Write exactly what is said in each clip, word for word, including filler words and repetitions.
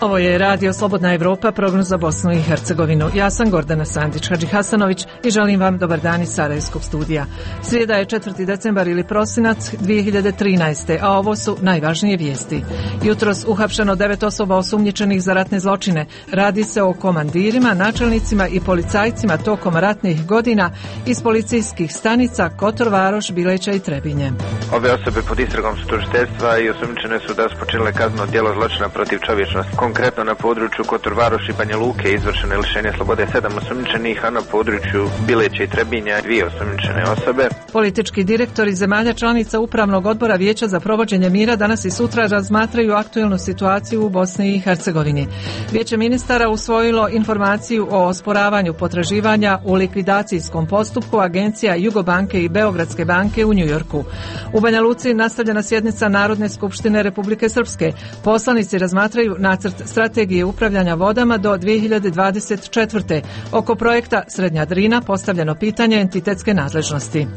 Ovo je Radio Slobodna Evropa, program za Bosnu i Hercegovinu. Ja sam Gordana Sandić Hadžihasanović i želim vam dobar dan iz Sarajevskog studija. Srijeda je četvrti decembar ili prosinac dvije hiljade trinaeste. a ovo su najvažnije vijesti. Jutros uhapšeno devet osoba osumnjičenih za ratne zločine. Radi se o komandirima, načelnicima i policajcima tokom ratnih godina iz policijskih stanica Kotor Varoš, Bileća i Trebinje. Ove osobe pod istragom su tužiteljstva i osumnjičene su da su počinile kazneno djelo zločina protiv čovječnosti. Konkretno na području Kotor Varoš i Banja Luke izvršeno je lišenje slobode sedam osumnjičenih, a na području Bileća i Trebinja dvije osumnjičene osobe. Politički direktori zemalja članica Upravnog odbora Vijeća za provođenje mira danas i sutra razmatraju aktuelnu situaciju u Bosni i Hercegovini. Vijeće ministara usvojilo informaciju o osporavanju potraživanja u likvidacijskom postupku agencija Jugobanke i Beogradske banke u Njujorku. U Banja Luci nastavljena sjednica Narodne skupštine Republike Srpske. Poslanici razmatraju nacrt strategije upravljanja vodama do dvije hiljade dvadeset četvrte. Oko projekta Srednja Drina postavljeno pitanje entitetske nadležnosti.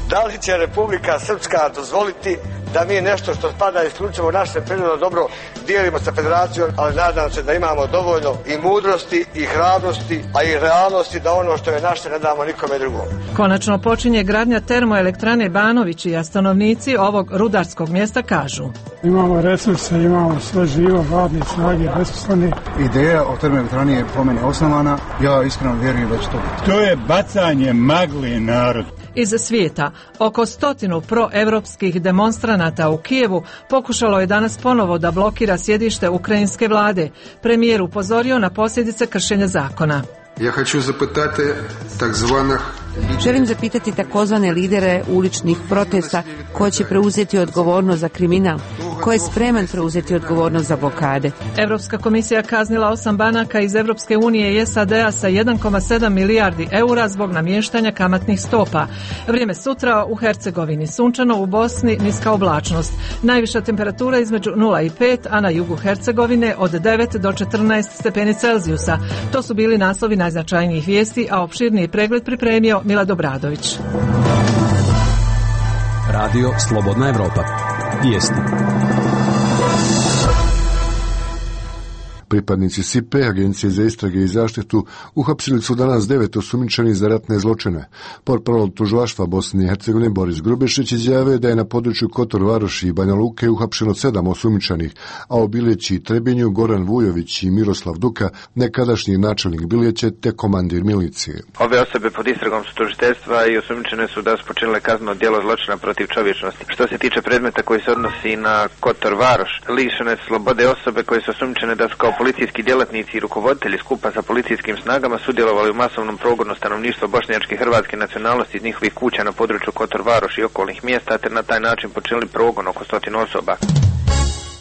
Da li će Republika Srpska dozvoliti da mi nešto što spada isključivo naše prirodno dobro dijelimo sa federacijom, ali nadam se da imamo dovoljno i mudrosti i hrabrosti, a i realnosti da ono što je naše ne damo nikome drugom. Konačno počinje gradnja termoelektrane Banovići, a stanovnici ovog rudarskog mjesta kažu: imamo resurse, imamo sve živo, radne snage, besposlene. Ideja o termoelektrani je po meni osnovana, ja iskreno vjerujem da će to biti. To je bacanje magli narod. Iz svijeta, oko stotinu proevropskih demonstranata u Kijevu pokušalo je danas ponovo da blokira sjedište ukrajinske vlade. Premijer upozorio na posljedice kršenja zakona. Ja hoću zapitati tak zvanih Želim zapitati takozvane lidere uličnih protesta ko će preuzeti odgovornost za kriminal, ko je spreman preuzeti odgovornost za blokade. Europska komisija kaznila osam banaka iz Europske unije i S A D-a sa jedan zarez sedam milijardi eura zbog namještanja kamatnih stopa. Vrijeme sutra u Hercegovini sunčano, u Bosni niska oblačnost. Najviša temperatura između nula i pet, a na jugu Hercegovine od devet do četrnaest stepeni Celzijusa. To su bili naslovi najznačajnijih vijesti, a opširniji pregled pripremio Milad Obradović. Radio Slobodna Evropa. Vijesti. Pripadnici S I P E, Agencije za istrage i zaštitu, uhapsili su danas devet osumnjičenih za ratne zločine. Portparol tužilaštva Bosne i Hercegovine Boris Grubišić izjavio da je na području Kotor Varoši i Banja Luke uhapšeno sedam osumnjičenih, a u Bileći i Trebinju Goran Vujović i Miroslav Duka, nekadašnji načelnik Bileće te komandir milicije. Ove osobe pod istragom su tužiteljstva i osumnjičene su da su počinile kazneno djelo zločina protiv čovječnosti. Što se tiče predmeta koji se odnosi na Kotor Varoš, lišene slobode osobe koje su osumnjičene da su kao policijski djelatnici i rukovoditelji skupa sa policijskim snagama sudjelovali u masovnom progonu stanovništva bošnjačke i hrvatske nacionalnosti iz njihovih kuća na području Kotor Varoš i okolnih mjesta, te na taj način počinili progon oko stotinu osoba.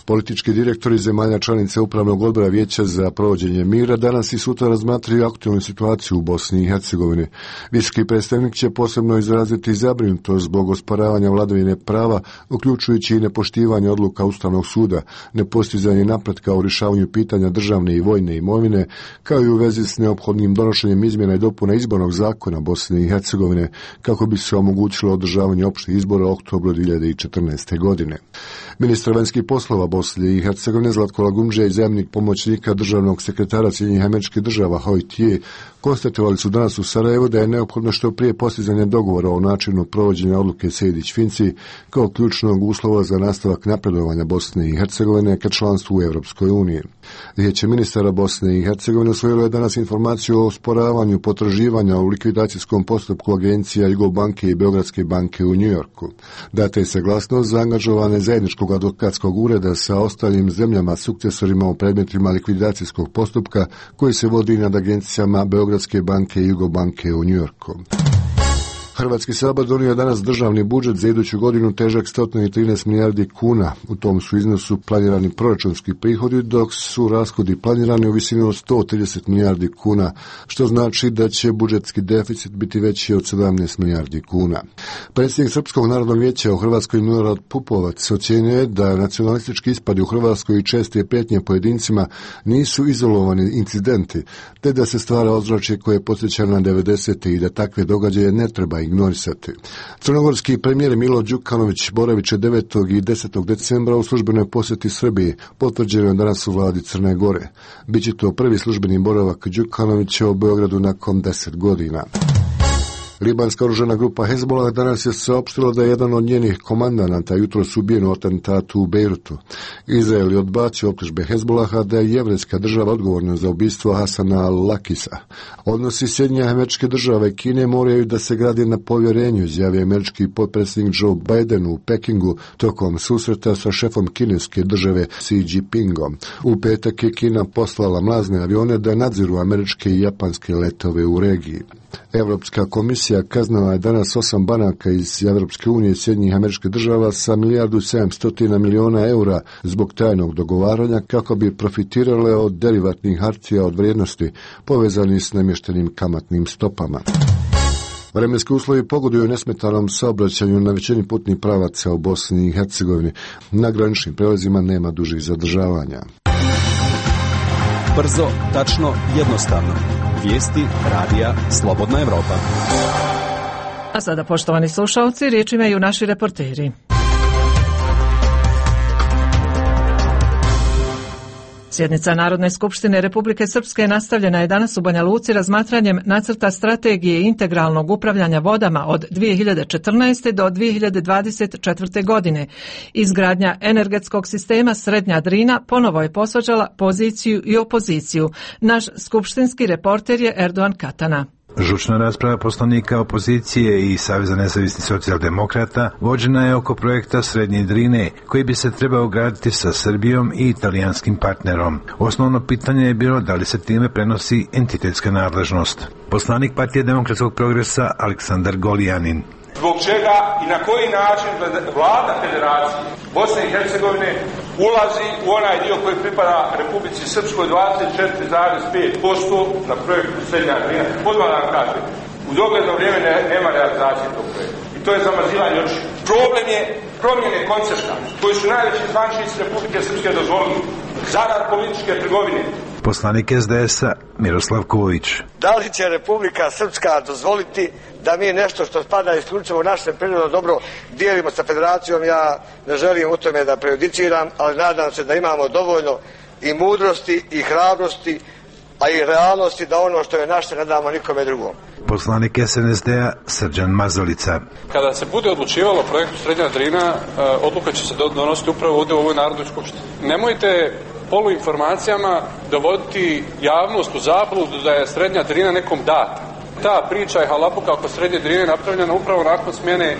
Politički direktori zemalja članice Upravnog odbora Vijeća za provođenje mira danas i sutra razmatraju aktualnu situaciju u Bosni i Hercegovini. Visoki predstavnik će posebno izraziti zabrinutost zbog osporavanja vladavine prava, uključujući i nepoštivanje odluka Ustavnog suda, nepostizanje napretka u rješavanju pitanja državne i vojne imovine, kao i u vezi s neophodnim donošenjem izmjena i dopuna izbornog zakona Bosne i Hercegovine, kako bi se omogućilo održavanje opštih izbora u oktobru dvije hiljade četrnaeste. godine. Ministar vanjskih poslova Bosne i Hercegovine Zlatko Lagumdžija i zamjenik pomoćnika državnog sekretara Sjedinjenih Američkih Država Hoyt Ye konstatovali su danas u Sarajevu da je neophodno što prije postizanje dogovora o načinu provođenja odluke Sejdić-Finci kao ključnog uslova za nastavak napredovanja Bosne i Hercegovine ka članstvu u Europskoj uniji. Vijeće ministara Bosne i Hercegovine usvojilo je danas informaciju o osporavanju potraživanja u likvidacijskom postupku agencija Jugobanke i Beogradske banke u Njujorku. Data je saglasnost za angažovane zajedničkog advokatskog ureda sa ostalim zemljama sukcesorima u predmetima likvidacijskog postupka koji se vodi nad agencijama Beogradske banke i Jugobanke u Njujorku. Hrvatski sabor donio je danas državni budžet za iduću godinu težak sto trinaest milijardi kuna. U tom su iznosu planirani proračunski prihodi, dok su rashodi planirani u visini od sto trideset milijardi kuna, što znači da će budžetski deficit biti veći od sedamnaest milijardi kuna. Predsjednik Srpskog narodnog vijeća u Hrvatskoj Milorad Pupovac ocjenjuje je da nacionalistički ispadi u Hrvatskoj i česte prijetnje pojedincima nisu izolovani incidenti, te da se stvara ozračje koje podsjeća na devedesete i da takve događaje ne treba ignorisati. Crnogorski premijer Milo Đukanović boravit će devetog i desetog decembra u službenoj posjeti Srbiji, potvrđeno je danas u vladi Crne Gore. Biće to prvi službeni boravak Đukanovića u Beogradu nakon deset godina. Libanska oružana grupa Hezbollah danas je saopštila da je jedan od njenih komandanata jutros ubijen u atentatu u Bejrutu. Izrael je odbacio optužbe Hezbollaha da je jevrejska država odgovorna za ubistvo Hasana al-Lakisa. Odnosi Sjedinjenih Američke Države i Kine moraju da se grade na povjerenju, izjavio američki potpredsjednik Joe Biden u Pekingu tokom susreta sa šefom kineske države Xi Jinpingom. U petak je Kina poslala mlazne avione da nadziru američke i japanske letove u regiji. Europska komisija kaznila je danas osam banaka iz Europske unije i Sjedinjenih Američkih Država sa milijardu sedamsto miliona eura zbog tajnog dogovaranja kako bi profitirale od derivatnih hartija od vrijednosti povezani s namještenim kamatnim stopama. Vremenski uslovi pogoduju nesmetanom saobraćanju na većini putnih pravaca u Bosni i Hercegovini. Na graničnim prelazima nema dužih zadržavanja. Brzo, tačno, jednostavno. Vijesti radija Slobodna Evropa. A sada, poštovani slušalci, riječ imaju naši reporteri. Sjednica Narodne skupštine Republike Srpske nastavljena je danas u Banja Luci razmatranjem nacrta strategije integralnog upravljanja vodama od dvije hiljade četrnaeste. do dvije hiljade dvadeset četvrte. godine. Izgradnja energetskog sistema Srednja Drina ponovo je posvađala poziciju i opoziciju. Naš skupštinski reporter je Erdogan Katana. Žučna rasprava poslanika opozicije i Saveza nezavisnih socijaldemokrata vođena je oko projekta Srednje Drine, koji bi se trebao graditi sa Srbijom i italijanskim partnerom. Osnovno pitanje je bilo da li se time prenosi entitetska nadležnost. Poslanik Partije demokratskog progresa Aleksandar Golijanin. Zbog čega i na koji način vlada Federacije Bosne i Hercegovine ulazi u onaj dio koji pripada Republici Srpskoj dvadeset četiri zarez pet posto na projektu Srednja Drina. Odmah vam kažem, u dogledno vrijeme ne, nema realizacije tog projekta. I to je zamazivanje oči. Problem je promjene koncepta koji su najveći zvaničnici Republike Srpske dozvolili zarad političke trgovine. Poslanik es de es a Miroslav Ković. Da li će Republika Srpska dozvoliti da mi nešto što spada isključivo u naše prirodno dobro dijelimo sa Federacijom? Ja ne želim u tome da prejudiciram, ali nadam se da imamo dovoljno i mudrosti i hrabrosti, a i realnosti da ono što je naše ne damo nikome drugom. Poslanik es en es de a Srđan Mazalica. Kada se bude odlučivalo o projektu Srednja Drina, odluka će se donositi upravo ovdje u ovoj Narodnoj skupštini. Nemojte poluinformacijama dovoditi javnost u zabludu da je Srednja Drina nekom data. Ta priča je halabuka oko Srednje Drine napravljena upravo nakon smjene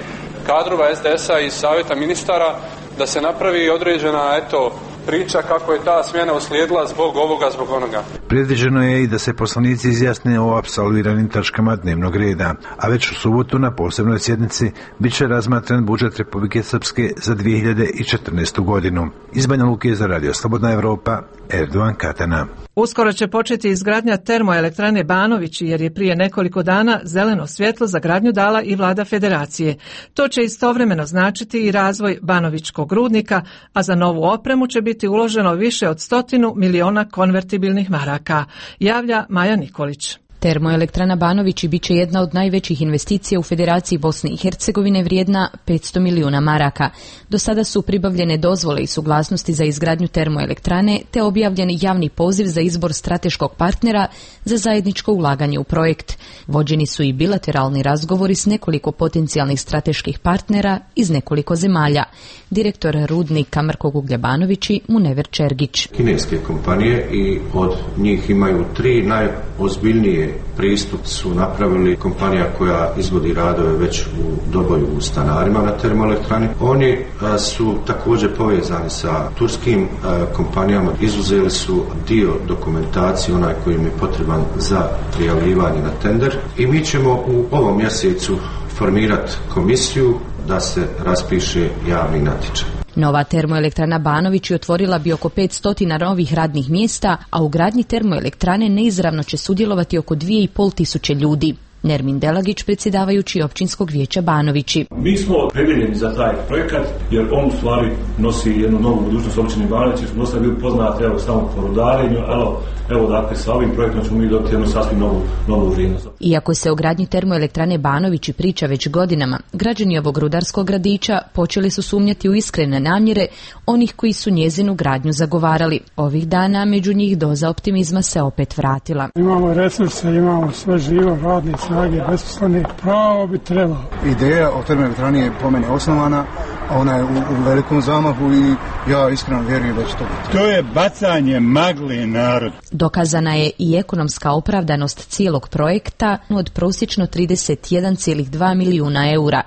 kadrova es de es a i savjeta ministara, da se napravi određena eto priča kako je ta smjena uslijedila zbog ovoga, zbog onoga. Predviđeno je i da se poslanici izjasne o apsolviranim tačkama dnevnog reda, a već u subotu na posebnoj sjednici bit će razmatran budžet Republike Srpske za dvije hiljade četrnaestu. godinu. Iz Banja Luke za Radio Slobodna Evropa, Erdogan Katana. Uskoro će početi izgradnja termoelektrane Banović, jer je prije nekoliko dana zeleno svjetlo za gradnju dala i vlada Federacije. To će istovremeno značiti i razvoj Banovićkog rudnika, a za novu opremu će biti uloženo više od stotinu miliona konvertibilnih maraka, javlja Maja Nikolić. Termoelektrana Banović bit će jedna od najvećih investicija u Federaciji Bosne i Hercegovine, vrijedna petsto milijuna maraka. Do sada su pribavljene dozvole i suglasnosti za izgradnju termoelektrane, te objavljen javni poziv za izbor strateškog partnera za zajedničko ulaganje u projekt. Vođeni su i bilateralni razgovori s nekoliko potencijalnih strateških partnera iz nekoliko zemalja. Direktor rudnika Mrkog uglja Banovići Munever Čergić. Kineske kompanije i od njih imaju tri najozbiljnije pristup su napravili kompanija koja izvodi radove već u Doboju u Stanarima na termoelektrani. Oni a, su također povezani sa turskim a, kompanijama. Izuzeli su dio dokumentacije, onaj koji im je potreban za prijavljivanje na tender. I mi ćemo u ovom mjesecu formirati komisiju da se raspiše javni natječaj. Nova termoelektrana Banović otvorila bi oko petsto novih radnih mjesta, a u gradnji termoelektrane neizravno će sudjelovati oko dvije i pol tisuće ljudi. Nermin Delagić, predsjedavajući općinskog vijeća Banovići. Mi smo opredjeljeni za taj projekat jer on u stvari nosi jednu novu budućnost općini Banovići. Smo dosta bili poznati evo samo po rudarenju, evo, evo dakle sa ovim projektom ćemo mi dobiti jednu sasvim novu, novu vrijednost. Iako se o gradnji termoelektrane Banovići priča već godinama, građani ovog rudarskog gradića počeli su sumnjati u iskrene namjere onih koji su njezinu gradnju zagovarali. Ovih dana među njih doza optimizma se opet vratila. Imamo resurse, imamo sve živo, radne snage, besposlene, pravo bi trebalo. Ideja o termoelektrani je po meni osnovana, ona je u, u velikom zamahu i ja iskreno vjerujem da će to biti. To je bacanje magle narod. Dokazana je i ekonomska opravdanost cijelog projekta od prosječno trideset jedan zarez dva milijuna eura.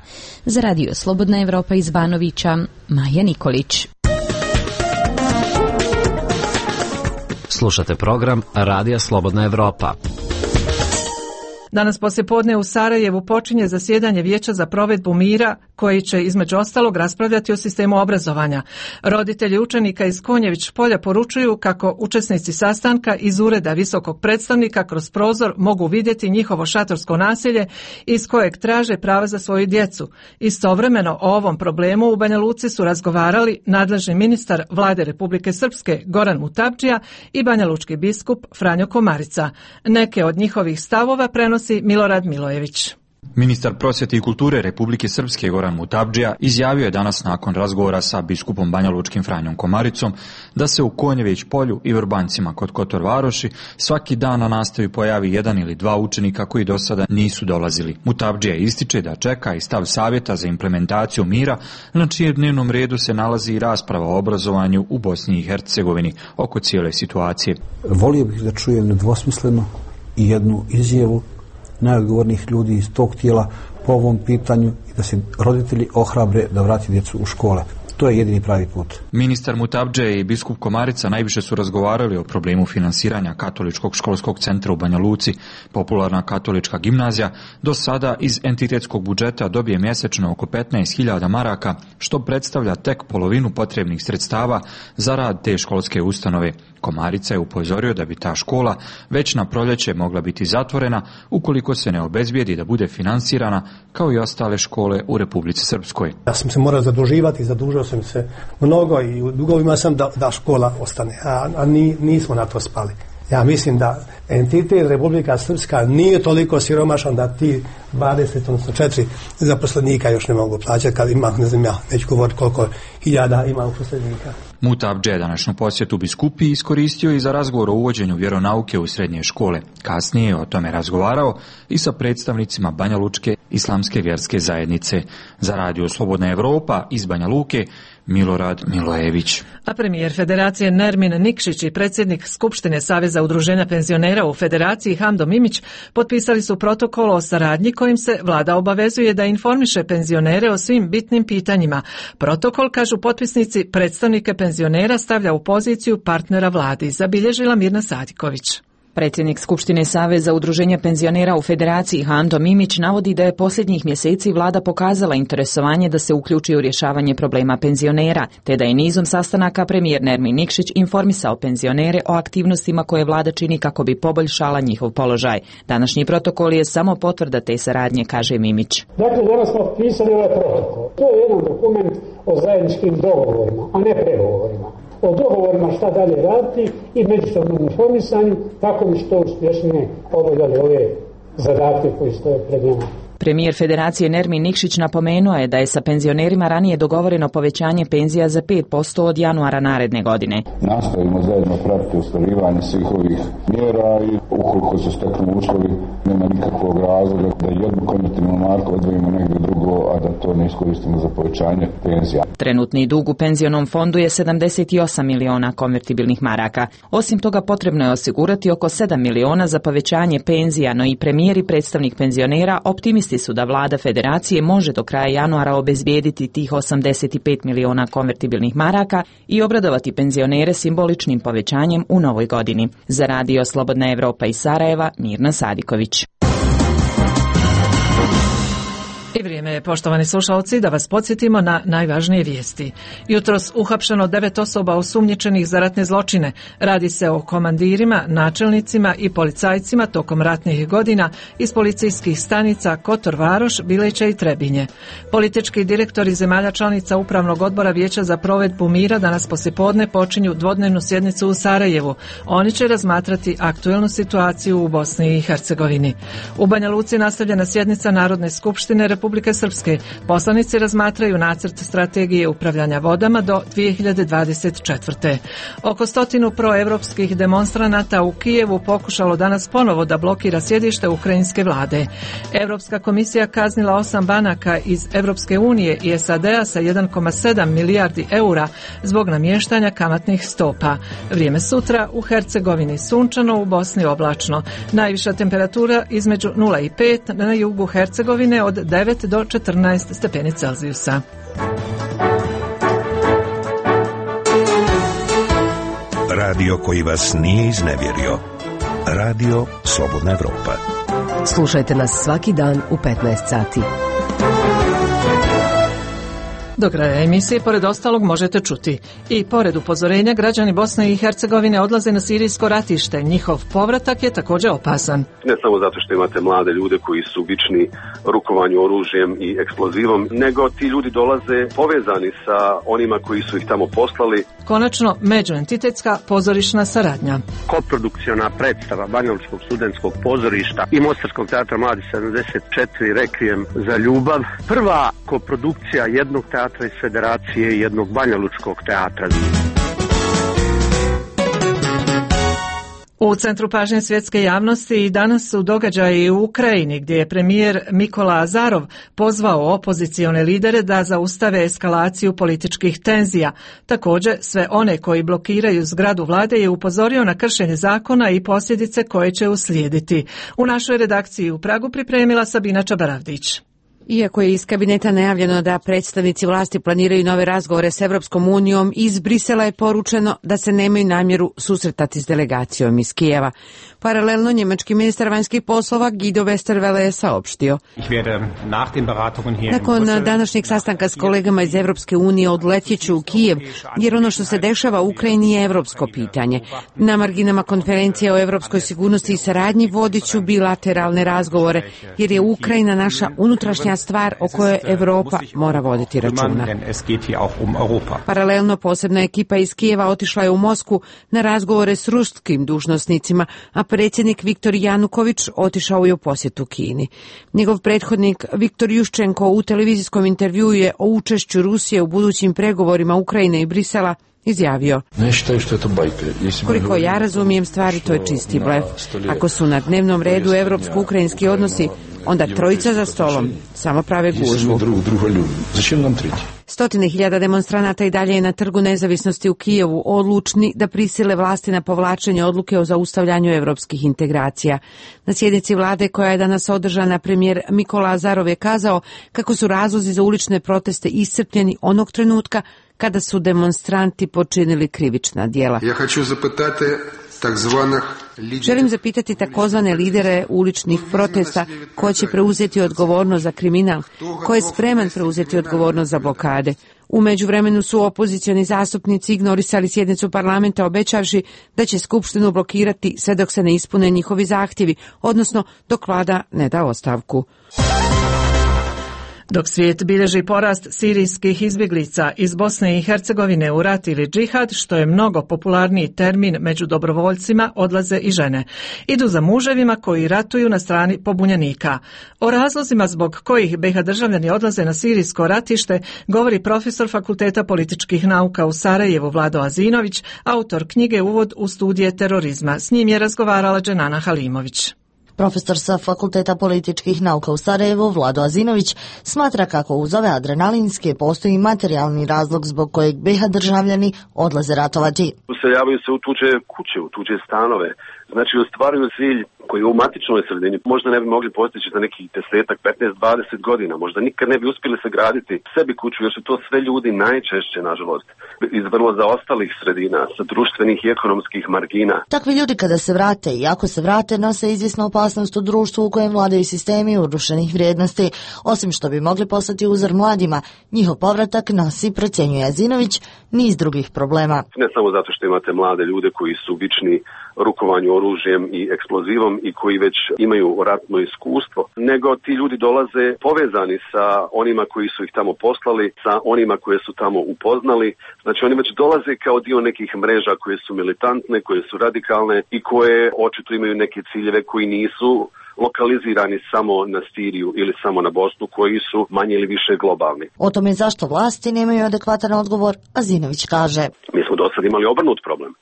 Za radio Slobodna Evropa iz Banovića, Maja Nikolić. Slušate program Radija Slobodna Evropa. Danas poslijepodne u Sarajevu počinje zasjedanje Vijeća za provedbu mira koji će između ostalog raspravljati o sistemu obrazovanja. Roditelji učenika iz Konjević polja poručuju kako učesnici sastanka iz ureda visokog predstavnika kroz prozor mogu vidjeti njihovo šatorsko naselje iz kojeg traže prava za svoju djecu. Istovremeno o ovom problemu u Banja Luci su razgovarali nadležni ministar Vlade Republike Srpske Goran Mutapdžija i banjalučki biskup Franjo Komarica. Neke od njihovih stavova prenosi Milorad Milojević. Ministar prosvjete i kulture Republike Srpske Goran Mutapdžija izjavio je danas nakon razgovora sa biskupom banjalučkim Franjom Komaricom da se u Konjević polju i Vrbancima kod Kotor Varoši svaki dan na nastavi pojavi jedan ili dva učenika koji do sada nisu dolazili. Mutapdžija ističe da čeka i stav savjeta za implementaciju mira, na čijem dnevnom redu se nalazi i rasprava o obrazovanju u Bosni i Hercegovini oko cijele situacije. Volio bih da čujem nedvosmisleno i jednu izjavu najodgovornijih ljudi iz tog tijela po ovom pitanju i da se roditelji ohrabre da vrati djecu u škole. To je jedini pravi put. Ministar Mutapdžija i biskup Komarica najviše su razgovarali o problemu finansiranja Katoličkog školskog centra u Banja Luci. Popularna katolička gimnazija do sada iz entitetskog budžeta dobije mjesečno oko petnaest hiljada maraka, što predstavlja tek polovinu potrebnih sredstava za rad te školske ustanove. Komarica je upozorio da bi ta škola već na proljeće mogla biti zatvorena ukoliko se ne obezbijedi da bude finansirana kao i ostale škole u Republici Srpskoj. Ja sam se morao zaduživati, zadužio sam se mnogo i u dugovima sam da, da škola ostane, a, a ni, nismo na to spali. Ja mislim da entitet Republika Srpska nije toliko siromašan da ti dvadeset, odnosno četiri zaposlenika još ne mogu plaćati, kad ima, ne znam ja, neću govoriti koliko hiljada ima uposlenika. Mutapdžija današnju posjetu biskupi iskoristio i za razgovor o uvođenju vjeronauke u srednje škole. Kasnije je o tome razgovarao i sa predstavnicima Banjalučke islamske vjerske zajednice. Za radio Slobodna Evropa iz Banja Luke, Milorad Milojević. A premijer Federacije Nermin Nikšić i predsjednik Skupštine Saveza udruženja penzionera u Federaciji Hamdo Mimić potpisali su protokol o saradnji kojim se vlada obavezuje da informiše penzionere o svim bitnim pitanjima. Protokol, kažu potpisnici, predstavnike penzionera stavlja u poziciju partnera vladi, zabilježila Mirna Sadiković. Predsjednik Skupštine Saveza udruženja penzionera u Federaciji Hamdo Mimić navodi da je posljednjih mjeseci vlada pokazala interesovanje da se uključi u rješavanje problema penzionera, te da je nizom sastanaka premijer Nermin Nikšić informisao penzionere o aktivnostima koje vlada čini kako bi poboljšala njihov položaj. Današnji protokol je samo potvrda te saradnje, kaže Mimić. Dakle, danas smo pisali ovaj protokol. To je jedan dokument o zajedničkim dogovorima, a ne pregovorima. O dogovorima šta dalje raditi i međusobnom informisanju kako bi što uspješnije obavljali ove zadatke koji stoje pred njima. Premijer Federacije Nermin Nikšić napomenuo je da je sa penzionerima ranije dogovoreno povećanje penzija za pet posto od januara naredne godine. Nastavimo zajedno pratiti ostvarivanje svih ovih mjera i ukoliko se steknu uslovi nema nikakvog razloga da jednu konvertibilnu marku odvojimo negdje drugo, a da to ne iskoristimo za povećanje penzija. Trenutni dug u penzionom fondu je sedamdeset osam miliona konvertibilnih maraka. Osim toga potrebno je osigurati oko sedam miliona za povećanje penzija, no i premijer i predstavnik penzionera optimisti su da vlada Federacije može do kraja januara obezbijediti tih osamdeset pet miliona konvertibilnih maraka i obradovati penzionere simboličnim povećanjem u novoj godini. Za radio Slobodna Evropa iz Sarajeva, Mirna Sadiković. I Vrijeme je, poštovani slušalci, da vas podsjetimo na najvažnije vijesti. Jutros uhapšeno devet osoba osumnjičenih za ratne zločine. Radi se o komandirima, načelnicima i policajcima tokom ratnih godina iz policijskih stanica Kotor Varoš, Bileća i Trebinje. Politički direktori zemalja članica Upravnog odbora Vijeća za provedbu mira danas poslijepodne počinju dvodnevnu sjednicu u Sarajevu. Oni će razmatrati aktuelnu situaciju u Bosni i Hercegovini. U Banja Luci nastavljena sjednica Narodne skupštine Republike Srpske. Poslanici razmatraju nacrt strategije upravljanja vodama do dvije hiljade dvadeset četvrte. Oko stotinu proevropskih demonstranata u Kijevu pokušalo danas ponovo da blokira sjedište ukrajinske vlade. Europska komisija kaznila osam banaka iz Europske unije i S A D-a sa jedan zarez sedam milijardi eura zbog namještanja kamatnih stopa. Vrijeme sutra u Hercegovini sunčano, u Bosni oblačno. Najviša temperatura između nula i pet, na jugu Hercegovine od devet do četrnaest stepeni Celzijusa. Radio koji vas nije iznevjerio. Radio Slobodna Evropa. Slušajte nas svaki dan u petnaest sati. Do kraja emisije, pored ostalog, možete čuti. I pored upozorenja, građani Bosne i Hercegovine odlaze na sirijsko ratište. Njihov povratak je također opasan. Ne samo zato što imate mlade ljude koji su vični rukovanju oružjem i eksplozivom, nego ti ljudi dolaze povezani sa onima koji su ih tamo poslali. Konačno, međuentitetska pozorišna saradnja. Koprodukciona predstava Banjalučkog studentskog pozorišta i Mostarskog teatra Mladi sedamdeset četiri Rekvijem za ljubav. Prva koprodukcija jednog teatra iz Federacije i jednog banjalučkog teatra. U centru pažnje svjetske javnosti i danas su događaji u Ukrajini, gdje je premijer Mikola Azarov pozvao opozicione lidere da zaustave eskalaciju političkih tenzija. Također, sve one koji blokiraju zgradu vlade je upozorio na kršenje zakona i posljedice koje će uslijediti. U našoj redakciji u Pragu pripremila Sabina Čabaravdić. Iako je iz kabineta najavljeno da predstavnici vlasti planiraju nove razgovore s Evropskom unijom, iz Brisela je poručeno da se nemaju namjeru susretati s delegacijom iz Kijeva. Paralelno, njemački ministar vanjskih poslova Guido Westerwelle je saopštio: nakon današnjeg sastanka s kolegama iz Evropske unije odletjet ću u Kijev, jer ono što se dešava u Ukrajini je evropsko pitanje. Na marginama konferencije o evropskoj sigurnosti i saradnji vodit ću bilateralne razgovore, jer je Ukrajina naša unutrašnja stvar o kojoj Europa mora voditi računa. Paralelno, posebna ekipa iz Kijeva otišla je u Moskvu na razgovore s ruskim dužnosnicima, a predsjednik Viktor Januković otišao je u posjetu Kini. Njegov prethodnik Viktor Juščenko u televizijskom intervjuu je o učešću Rusije u budućim pregovorima Ukrajine i Brisela izjavio: koliko ja razumijem stvari, to je čisti blef. Ako su na dnevnom redu evropsko-ukrajinski odnosi, onda trojica za stolom samo prave gužvu. Stotine hiljada demonstranata i dalje je na Trgu nezavisnosti u Kijevu, odlučni da prisile vlasti na povlačenje odluke o zaustavljanju evropskih integracija. Na sjednici vlade koja je danas održana, premijer Mikola Azarov je kazao kako su razlozi za ulične proteste iscrpljeni onog trenutka kada su demonstranti počinili krivična djela. Ja hoću zapitati Želim zapitati takozvane lidere uličnih protesta ko će preuzeti odgovornost za kriminal, ko je spreman preuzeti odgovornost za blokade. U međuvremenu su opozicioni zastupnici ignorisali sjednicu parlamenta obećavši da će skupštinu blokirati sve dok se ne ispune njihovi zahtjevi, odnosno dok vlada ne da ostavku. Dok svijet bilježi porast sirijskih izbjeglica iz Bosne i Hercegovine u rat ili džihad, što je mnogo popularniji termin među dobrovoljcima, odlaze i žene. Idu za muževima koji ratuju na strani pobunjenika. O razlozima zbog kojih be ha državljani odlaze na sirijsko ratište govori profesor Fakulteta političkih nauka u Sarajevu Vlado Azinović, autor knjige Uvod u studije terorizma. S njim je razgovarala Dženana Halimović. Profesor sa Fakulteta političkih nauka u Sarajevu, Vlado Azinović, smatra kako uz ove adrenalinske postoji materijalni razlog zbog kojeg be ha državljani odlaze ratovati. Useljavaju se u tuđe kuće, u tuđe stanove, Znači ostvaruju cilj koji u matičnoj sredini možda ne bi mogli postići za nekih desetak, petnaest, dvadeset godina, možda nikad ne bi uspjeli sagraditi sebi kuću, jer su to sve ljudi najčešće, nažalost, iz vrlo zaostalih sredina, sa društvenih i ekonomskih margina. Takvi ljudi kada se vrate i ako se vrate, nose izvjesnu opasnost u društvu u kojem vladaju sistemi urušenih vrijednosti. Osim što bi mogli poslati uzor mladima, njihov povratak nosi, procjenjuje Azinović, niz drugih problema. Ne samo zato što imate mlade ljude koji su vični rukovanju oružjem i eksplozivom i koji već imaju ratno iskustvo, nego ti ljudi dolaze povezani sa onima koji su ih tamo poslali, sa onima koje su tamo upoznali. Znači oni već dolaze kao dio nekih mreža koje su militantne, koje su radikalne i koje očito imaju neke ciljeve koji nisu lokalizirani samo na Siriju ili samo na Bosnu, koji su manje ili više globalni. O tome zašto vlasti nemaju adekvatan odgovor, Azinović kaže. Mi smo do sad imali obrnut problem.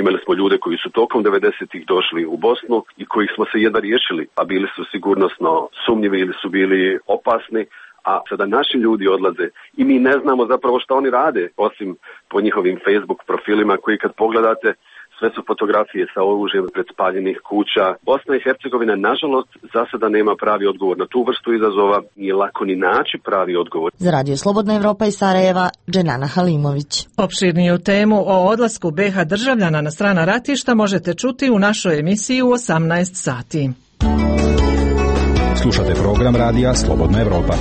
Imali smo ljude koji su tokom devedesetih došli u Bosnu i kojih smo se jedva riješili, a bili su sigurnosno sumnjivi ili su bili opasni, a sada naši ljudi odlaze i mi ne znamo zapravo šta oni rade, osim po njihovim Facebook profilima koji kad pogledate sve su fotografije sa oružjem pred spaljenih kuća. Bosna i Hercegovina, nažalost, za sada nema pravi odgovor na tu vrstu izazova. Nije lako ni naći pravi odgovor. Za Radio Slobodna Evropa iz Sarajeva, Dženana Halimović. Opširniju temu o odlasku be ha državljana na strana ratišta možete čuti u našoj emisiji u osamnaest sati. Slušate program Radija Slobodna Evropa.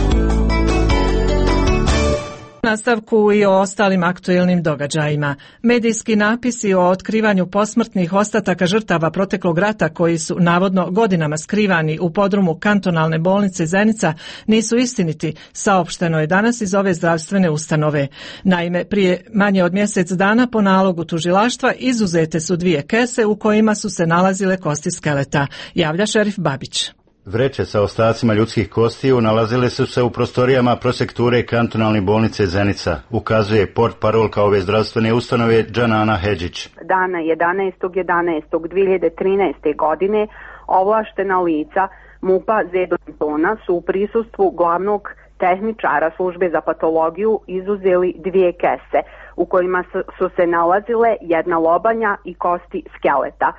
Nastavku i o ostalim aktuelnim događajima. Medijski napisi o otkrivanju posmrtnih ostataka žrtava proteklog rata koji su navodno godinama skrivani u podrumu kantonalne bolnice Zenica nisu istiniti, saopšteno je danas iz ove zdravstvene ustanove. Naime, prije manje od mjesec dana po nalogu tužilaštva izuzete su dvije kese u kojima su se nalazile kosti skeleta, javlja šerif Babić. Vreće sa ostacima ljudskih kostiju nalazile su se u prostorijama prosekture kantonalne bolnice Zenica, ukazuje portparolka ove zdravstvene ustanove Džanana Hedžić. Dana jedanaestog jedanaestog dve hiljade trinaeste. godine ovlaštena lica MUP-a Zedona su u prisustvu glavnog tehničara službe za patologiju izuzeli dvije kese u kojima su se nalazile jedna lobanja i kosti skeleta.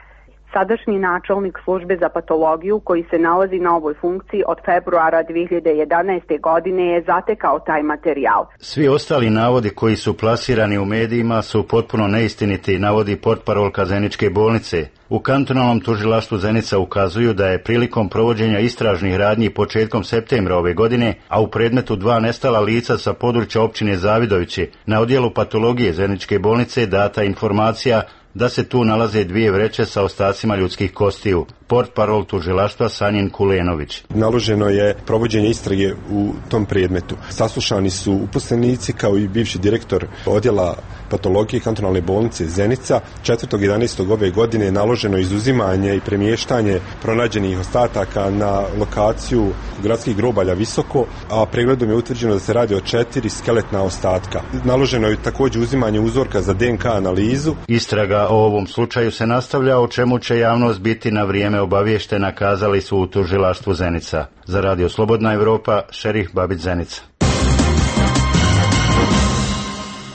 Sadašnji načelnik službe za patologiju koji se nalazi na ovoj funkciji od februara dve hiljade jedanaeste. godine je zatekao taj materijal. Svi ostali navodi koji su plasirani u medijima su potpuno neistiniti, navodi portparolka Zeničke bolnice. U kantonalnom tužilaštvu Zenica ukazuju da je prilikom provođenja istražnih radnji početkom septembra ove godine, a u predmetu dva nestala lica sa područja općine Zavidovići, na odjelu patologije Zeničke bolnice data informacija da se tu nalaze dvije vreće sa ostacima ljudskih kostiju. Portparol tužilaštva Sanjin Kulenović. Naloženo je provođenje istrage u tom predmetu. Saslušani su uposlenici kao i bivši direktor odjela patologije kantonalne bolnice Zenica. četvrtog jedanaestog ove godine je naloženo izuzimanje i premještanje pronađenih ostataka na lokaciju gradskih grobalja Visoko, a pregledom je utvrđeno da se radi o četiri skeletna ostatka. Naloženo je također uzimanje uzorka za de en ka analizu. Istraga o ovom slučaju se nastavlja, o čemu će javnost biti na vrijeme obavještena, kazali su u tužilaštvu Zenica. Za Radio Slobodna Evropa, šerif Babić Zenica.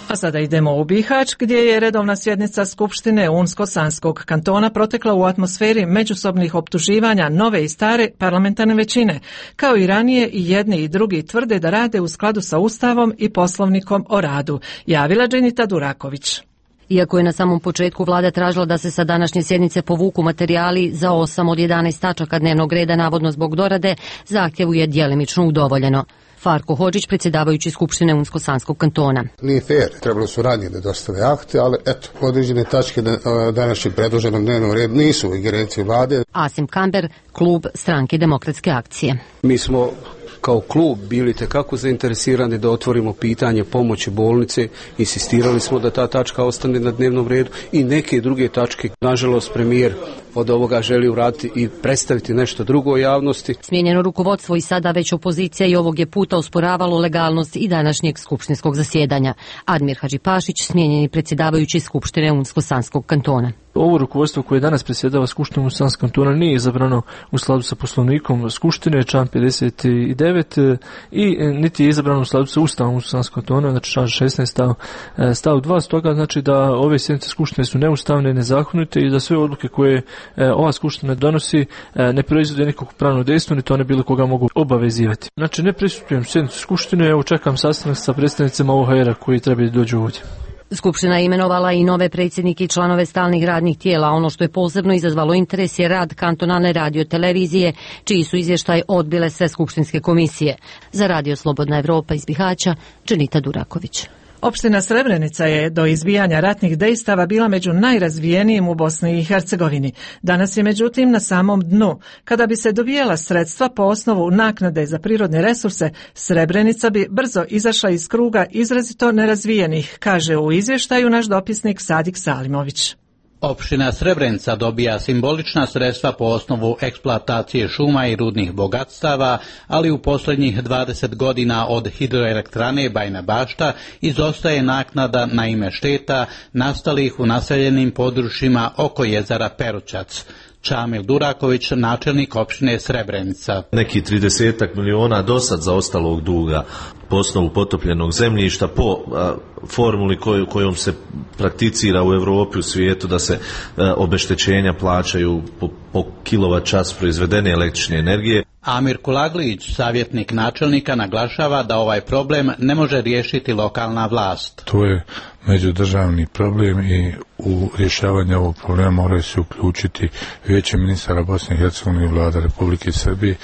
A sada idemo u Bihać, gdje je redovna sjednica Skupštine Unsko-Sanskog kantona protekla u atmosferi međusobnih optuživanja nove i stare parlamentarne većine. Kao i ranije, i jedni i drugi tvrde da rade u skladu sa Ustavom i Poslovnikom o radu, javila Dženita Duraković. Iako je na samom početku vlada tražila da se sa današnje sjednice povuku materijali za osam od jedanaest tačaka dnevnog reda navodno zbog dorade, zahtjevu je djelimično udovoljeno. Farko Hodžić, predsjedavajući Skupštine Unsko-Sanskog kantona. Nije fair, trebalo su ranije da dostave akte, ali eto, određene tačke današnjeg predloženog dnevnog reda nisu u ingerenciji vlade. Asim Kamber, klub Stranke demokratske akcije. Mi smo kao klub bili tekako zainteresirani da otvorimo pitanje pomoći bolnice, insistirali smo da ta tačka ostane na dnevnom redu i neke druge tačke. Nažalost, premijer od ovoga želi uraditi i predstaviti nešto drugo javnosti. Smijenjeno rukovodstvo i sada već opozicija i ovog je puta usporavalo legalnost i današnjeg skupštinskog zasjedanja. Admir Hadžipašić, smijenjeni predsjedavajući Skupštine Unsko-Sanskog kantona. ovo rukovodstvo koje danas predsjedava Skupštinom Muslimanskog kantona nije izabrano u skladu sa poslovnikom Skupštine, član pedeset devet, i niti je izabrano u skladu sa Ustavom Muslimanskog kantona, znači član šesnaest stav, stav dva, stoga znači da ove sjednice Skupštine su neustavne, nezakonite i da sve odluke koje ova Skupština donosi ne proizvode nikakvog pravnog dejstva, ni to ne bilo koga mogu obavezivati. Znači ne prisustvujem sjednicu Skupštine, evo čekam sastanak sa predstavnicima O H R-a koji trebaju dođu ovdje. Skupština je imenovala i nove predsjednike i članove stalnih radnih tijela. Ono što je posebno izazvalo interes je rad kantonalne radiotelevizije, čiji su izvještaj odbile sve skupštinske komisije. Za Radio Slobodna Evropa iz Bihaća, Dženita Duraković. Opština Srebrenica je do izbijanja ratnih dejstava bila među najrazvijenijim u Bosni i Hercegovini. Danas je međutim na samom dnu. Kada bi se dobijala sredstva po osnovu naknade za prirodne resurse, Srebrenica bi brzo izašla iz kruga izrazito nerazvijenih, kaže u izvještaju naš dopisnik Sadik Salimović. Opština Srebrenica dobija simbolična sredstva po osnovu eksploatacije šuma i rudnih bogatstava, ali u posljednjih dvadeset godina od hidroelektrane Bajina Bašta izostaje naknada na ime šteta nastalih u naseljenim područjima oko jezera Perućac. Čamil Duraković, načelnik opštine Srebrenica. Neki tridesetak miliona dosad zaostalog duga po osnovu potopljenog zemljišta, po a, formuli koju, kojom se prakticira u Europi, u svijetu, da se a, obeštećenja plaćaju po, po kilovat čas proizvedene električne energije. Amir Kulaglić, savjetnik načelnika, naglašava da ovaj problem ne može riješiti lokalna vlast. To je međudržavni problem i u rješavanje ovog problema moraju se uključiti Vijeće ministara Bosne i Hercegovine i vlada Republike Srbije.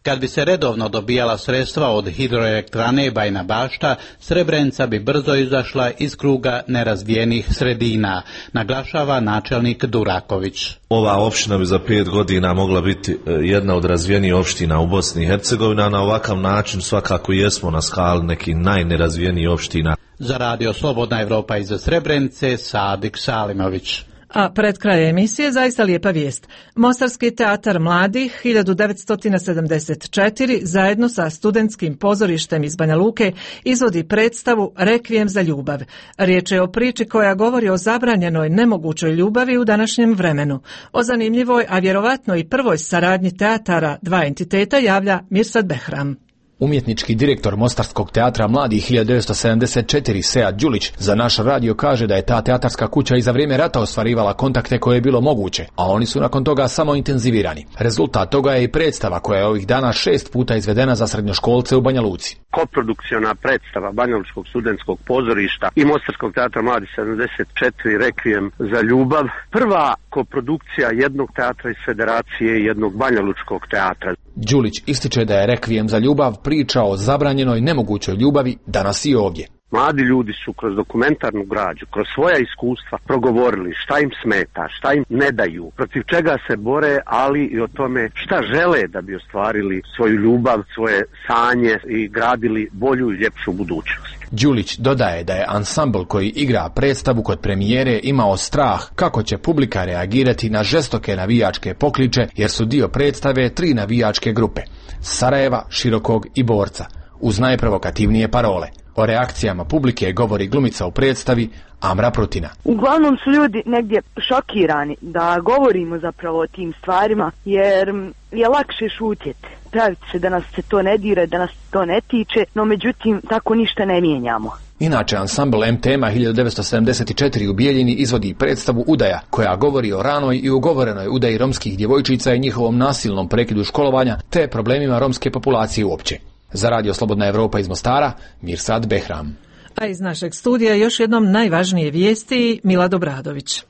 Kad bi se redovno dobijala sredstva od hidroelektrane Bajina Bašta, Srebrenica bi brzo izašla iz kruga nerazvijenih sredina, naglašava načelnik Duraković. Ova opština bi za pet godina mogla biti jedna od razvijenijih opština u Bosni i Hercegovini, a na ovakav način svakako jesmo na skali nekih najnerazvijenijih opština. Za Radio Slobodna Evropa iz Srebrenice, Sadik Salimović. A pred kraj emisije zaista lijepa vijest. Mostarski teatar mladih hiljadu devetsto sedamdeset četiri zajedno sa studentskim pozorištem iz Banja Luke izvodi predstavu Rekvijem za ljubav. Riječ je o priči koja govori o zabranjenoj nemogućoj ljubavi u današnjem vremenu. O zanimljivoj, a vjerovatno i prvoj saradnji teatara dva entiteta javlja Mirsad Behram. Umjetnički direktor Mostarskog teatra mladih hiljadu devetsto sedamdeset četiri Sead Đulić za naš radio kaže da je ta teatarska kuća i za vrijeme rata ostvarivala kontakte koje je bilo moguće, a oni su nakon toga samo intenzivirani. Rezultat toga je i predstava koja je ovih dana šest puta izvedena za srednjoškolce u Banja Luci. Koprodukciona predstava Banjalučkog studentskog pozorišta i Mostarskog teatra mladih sedamdeset četiri Rekvijem za ljubav. Prva koprodukcija jednog teatra iz Federacije i jednog Banjalučkog teatra. Đulić ističe da je Rekvijem za ljubav priča o zabranjenoj nemogućoj ljubavi danas i ovdje. Mladi ljudi su kroz dokumentarnu građu, kroz svoja iskustva progovorili šta im smeta, šta im ne daju, protiv čega se bore, ali i o tome šta žele da bi ostvarili svoju ljubav, svoje sanje i gradili bolju i ljepšu budućnost. Đulić dodaje da je ansambl koji igra predstavu kod premijere imao strah kako će publika reagirati na žestoke navijačke pokliče, jer su dio predstave tri navijačke grupe: Sarajeva, Širokog i Borca, uz najprovokativnije parole. O reakcijama publike govori glumica u predstavi Amra Prutina. Uglavnom su ljudi negdje šokirani da govorimo zapravo o tim stvarima, jer je lakše šutjeti. Praviti se da nas se to ne dira, da nas to ne tiče, no međutim tako ništa ne mijenjamo. Inače, ansambl M T M hiljadu devetsto sedamdeset četiri u Bijeljini izvodi predstavu Udaja, koja govori o ranoj i ugovorenoj udaji romskih djevojčica i njihovom nasilnom prekidu školovanja, te problemima romske populacije uopće. Za Radio Slobodna Evropa iz Mostara, Mirsad Behram. A iz našeg studija još jednom najvažnije vijesti, Milad Obradović.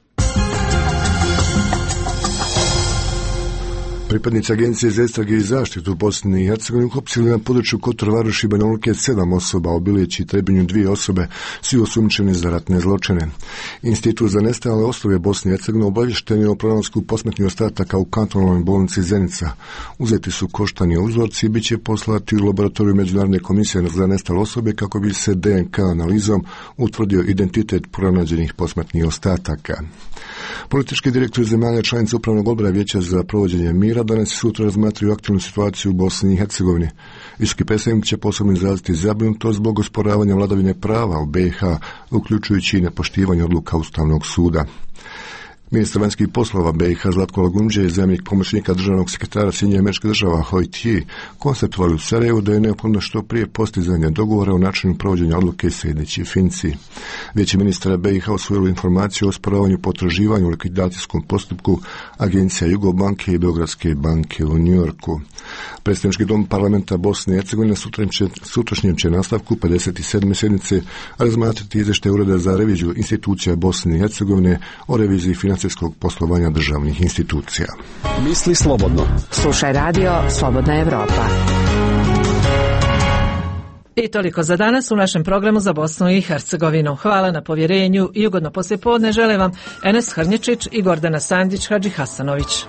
Pripadnici Agencije za istrage i zaštitu u Bosni i Hercegovini uhapsili na području Kotor Varoši i Banja Luke sedam osoba, u Bilići i Trebinju dvije osobe, svi osumnjičeni za ratne zločine. Institut za nestale osobe Bosne i Hercegovine obavješten je o pronalasku posmrtnih ostataka u kantonalnoj bolnici Zenica. Uzeti su koštani uzorci i bit će poslati u laboratoriju Međunarodne komisije za nestale osobe kako bi se D N K analizom utvrdio identitet pronađenih posmrtnih ostataka. Politički direktori zemalja članica Upravnog odbora Vijeća za provođenje mira danas i sutra razmatraju aktualnu situaciju u Bosni i Hercegovini. Visoki predstavnik će posebno izraziti zabrinutost zbog osporavanja vladavine prava u B i H, uključujući i nepoštivanje odluka Ustavnog suda. Ministar vanjskih poslova B i H Zlatko Lagundžija i zamjenik pomoćnika državnog sekretara Sjedinjenih Američkih Država Hoi Ti konstatovali u Sarajevu da je neophodno što prije postizanje dogovora o načinu provođenja odluke sljedeći Finci. Vijeće ministara B i H usvojilo informaciju o osporavanju potraživanja u likvidacijskom postupku agencija Jugobanke i Beogradske banke u Njujorku. Predstavnički dom parlamenta Bosne i Hercegovine sutrašnjem će nastavku pedeset sedme sjednice razmatrati izvještaj Ureda za reviziju institucija Bosne i Hercegovine o reviziji financijskog poslovanja državnih institucija. Misli slobodno. Slušaj radio Slobodna Evropa. I toliko za danas u našem programu za Bosnu i Hercegovinu. Hvala na povjerenju i ugodno poslijepodne žele vam Enes Hrnječić i Gordana Sandić Hadži Hasanović.